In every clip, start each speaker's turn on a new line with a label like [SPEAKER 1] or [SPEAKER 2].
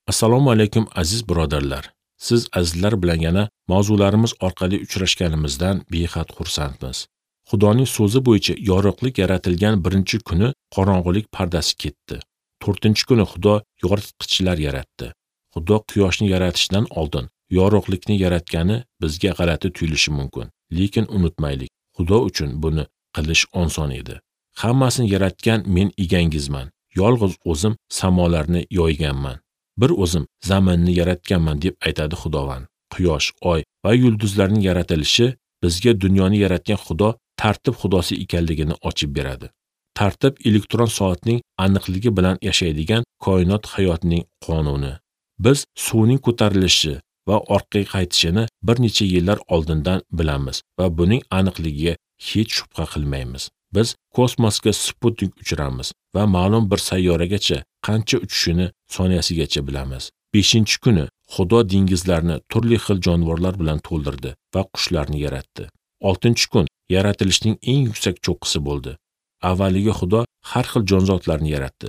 [SPEAKER 1] Assalomu alaykum aziz birodarlar. Siz azizlar bilan yana mavzularimiz orqali uchrashganimizdan behad xursandmiz. Xudoning so'zi bo'yicha yorug'lik yaratilgan birinchi kuni qorong'ulik pardasi ketdi. 4-kuni Xudo yoritqichlar yaratdi. Xudo quyoshni yaratishdan oldin yorug'likni yaratgani bizga g'alati tuyulishi mumkin. Lekin unutmaylik, Xudo uchun buni qilish oson edi. Hammasini yaratgan men egangizman. Yolg'iz o'zim samolarni yoyganman. Bir o'zim zaminni yaratganman deb aytadi Xudovand. Quyosh, oy va yulduzlarning yaratilishi bizga dunyoni yaratgan Xudo tartib xudosi ekanligini ochib beradi. Tartib elektron soatning aniqligi bilan yashaydigan koinot hayotining qonuni. Biz suvning ko'tarilishi va orqaga qaytishini bir necha yillar oldindan bilamiz va buning aniqligiga hech shubha qilmaymiz. Biz kosmosga sputnik uchiramiz va ma'lum bir sayyoragacha qancha uchishini soniyasigacha bilamiz. 5-kuni Xudo dengizlarni turli xil jonivorlar bilan to'ldirdi va qushlarni yaratdi. 6-kun yaratilishning eng yuksak cho'qqisi bo'ldi. Avvaliga Xudo har xil jonzotlarni yaratdi.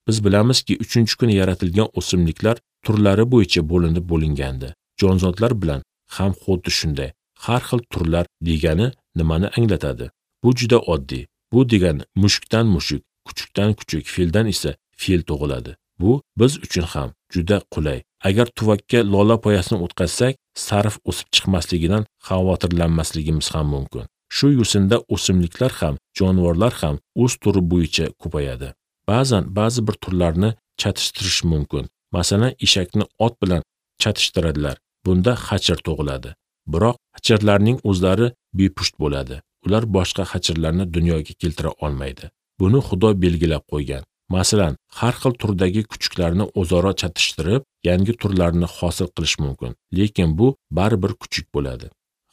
[SPEAKER 1] Biz bilamizki, 3-kuni yaratilgan o'simliklar turlari bo'yicha bo'linib bo'lingandi. Jonzotlar bilan ham xuddi shunday. Har xil turlar degani nimani anglatadi? Bu juda oddiy. Bu degani mushukdan mushuk, kuchukdan kuchuk, fildan esa fil tug'iladi. Bu biz uchun ham juda qulay. Agar tuvakka lola poyasini o'tkazsak, sarf o'sib chiqmasligidan xavotirlanmasligimiz ham mumkin. Shu yo'sinda o'simliklar ham, jonivorlar ham o'z turi bo'yicha ko'payadi. Ba'zan ba'zi bir turlarni chatishtirish mumkin. Masalan, eshakni ot bilan chatishtiradilar. Bunda xachir tug'iladi. Biroq xachirlarning o'zlari bepusht bo'ladi. Ular boshqa xachirlarni dunyoga keltira olmaydi. Buni Xudo belgilab qo'ygan. Masalan, har xil turdagi kuchuklarni o'zaro chatishtirib, yangi turlarni hosil qilish mumkin. Lekin bu baribir kuchuk bo'ladi.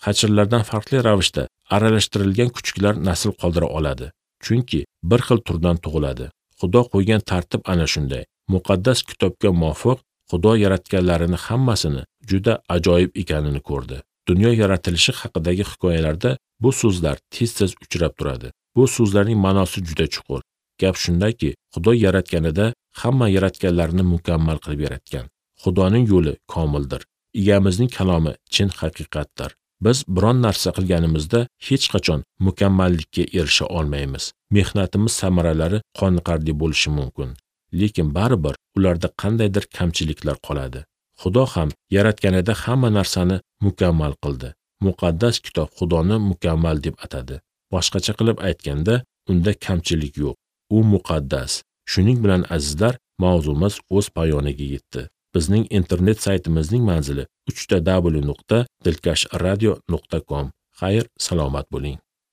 [SPEAKER 1] Xachirlardan farqli ravishda aralashtirilgan kuchuklar nasl qoldira oladi. Chunki bir xil turdan tug'iladi. Xudo qo'ygan tartib ana shunday. Muqaddas kitobga muvofiq Xudo yaratganlarini hammasini juda ajoyib ekanini ko'rdi. Dunyo yaratilishi haqidagi hikoyalarda bu so'zlar tez-tez uchrab turadi. Bu so'zlarning ma'nosi juda chuqur. Gap shundaki, Xudo yaratganida hamma yaratganlarini mukammal qilib yaratgan. Xudoning yo'li komildir. Egamizning kalomi chin haqiqatdir. Biz biron narsa qilganimizda hech qachon mukammallikka erisha olmaymiz. Mehnatimiz samaralari qoniqarli bo'lishi mumkin, lekin baribir ularda qandaydir kamchiliklar qoladi. Xudo ham yaratganida hamma narsani mukammal qildi. Muqaddas kitob Xudoni mukammal deb atadi. Boshqacha qilib aytganda, unda kamchilik yo'q. U muqaddas. Shuning bilan azizlar, mavzumiz o'z poyoniga yetdi. Bizning internet saytimizning manzili www.dilkashradio.com. Xayr, salomat bo'ling.